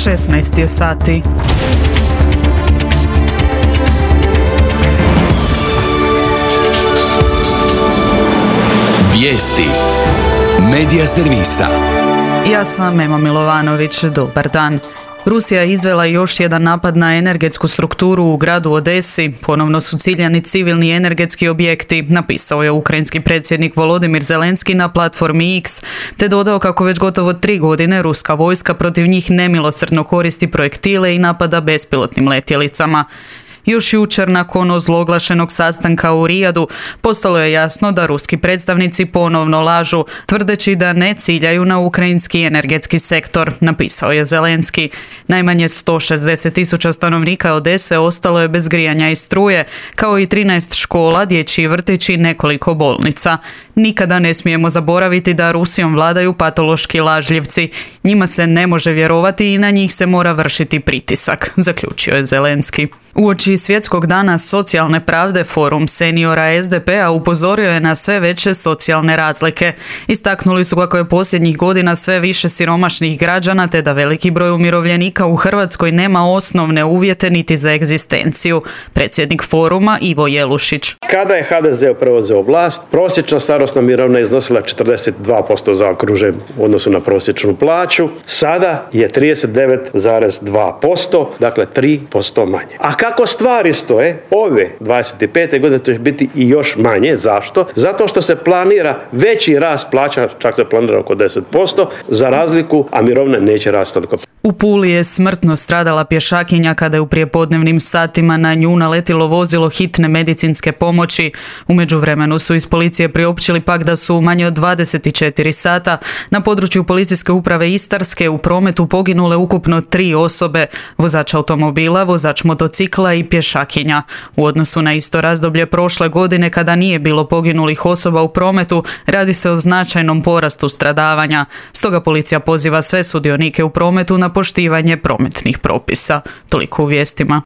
16 je sati. Vijesti Medija servisa. Ja sam Ema Milovanović, dobar dan. Rusija je izvela još jedan napad na energetsku strukturu u gradu Odesi. Ponovno su ciljani civilni energetski objekti, napisao je ukrajinski predsjednik Volodimir Zelenski na platformi X, te dodao kako već gotovo 3 godine ruska vojska protiv njih nemilosrdno koristi projektile i napada bespilotnim letjelicama. Još jučer, nakon ozloglašenog sastanka u Rijadu, postalo je jasno da ruski predstavnici ponovno lažu, tvrdeći da ne ciljaju na ukrajinski energetski sektor, napisao je Zelenski. Najmanje 160.000 stanovnika Odese ostalo je bez grijanja i struje, kao i 13 škola, dječji vrtići i nekoliko bolnica. Nikada ne smijemo zaboraviti da Rusijom vladaju patološki lažljivci. Njima se ne može vjerovati i na njih se mora vršiti pritisak, zaključio je Zelenski. Uoči Svjetskog dana socijalne pravde, Forum seniora SDP-a upozorio je na sve veće socijalne razlike. Istaknuli su kako je posljednjih godina sve više siromašnih građana, te da veliki broj umirovljenika u Hrvatskoj nema osnovne uvjete niti za egzistenciju. Predsjednik Foruma Ivo Jelušić. Kada je HDZ preuzeo vlast, prosječna starosna mirovina iznosila 42% zaokružen u odnosu na prosječnu plaću. Sada je 39,2%, dakle 3% manje. A kako stvari stoje, ove 25. godine to će biti i još manje. Zašto? Zato što se planira veći rast plaća, čak se planira oko 10%, za razliku, a mirovina neće rasti toliko. U Puli je smrtno stradala pješakinja kada je u prijepodnevnim satima na nju naletilo vozilo hitne medicinske pomoći. U međuvremenu su iz policije priopćili pak da su manje od 24 sata na području policijske uprave Istarske u prometu poginule ukupno 3 osobe, vozač automobila, vozač motocikla i pješakinja. U odnosu na isto razdoblje prošle godine, kada nije bilo poginulih osoba u prometu, radi se o značajnom porastu stradavanja. Stoga policija poziva sve sudionike u prometu na poštivanje prometnih propisa. Toliko u vijestima.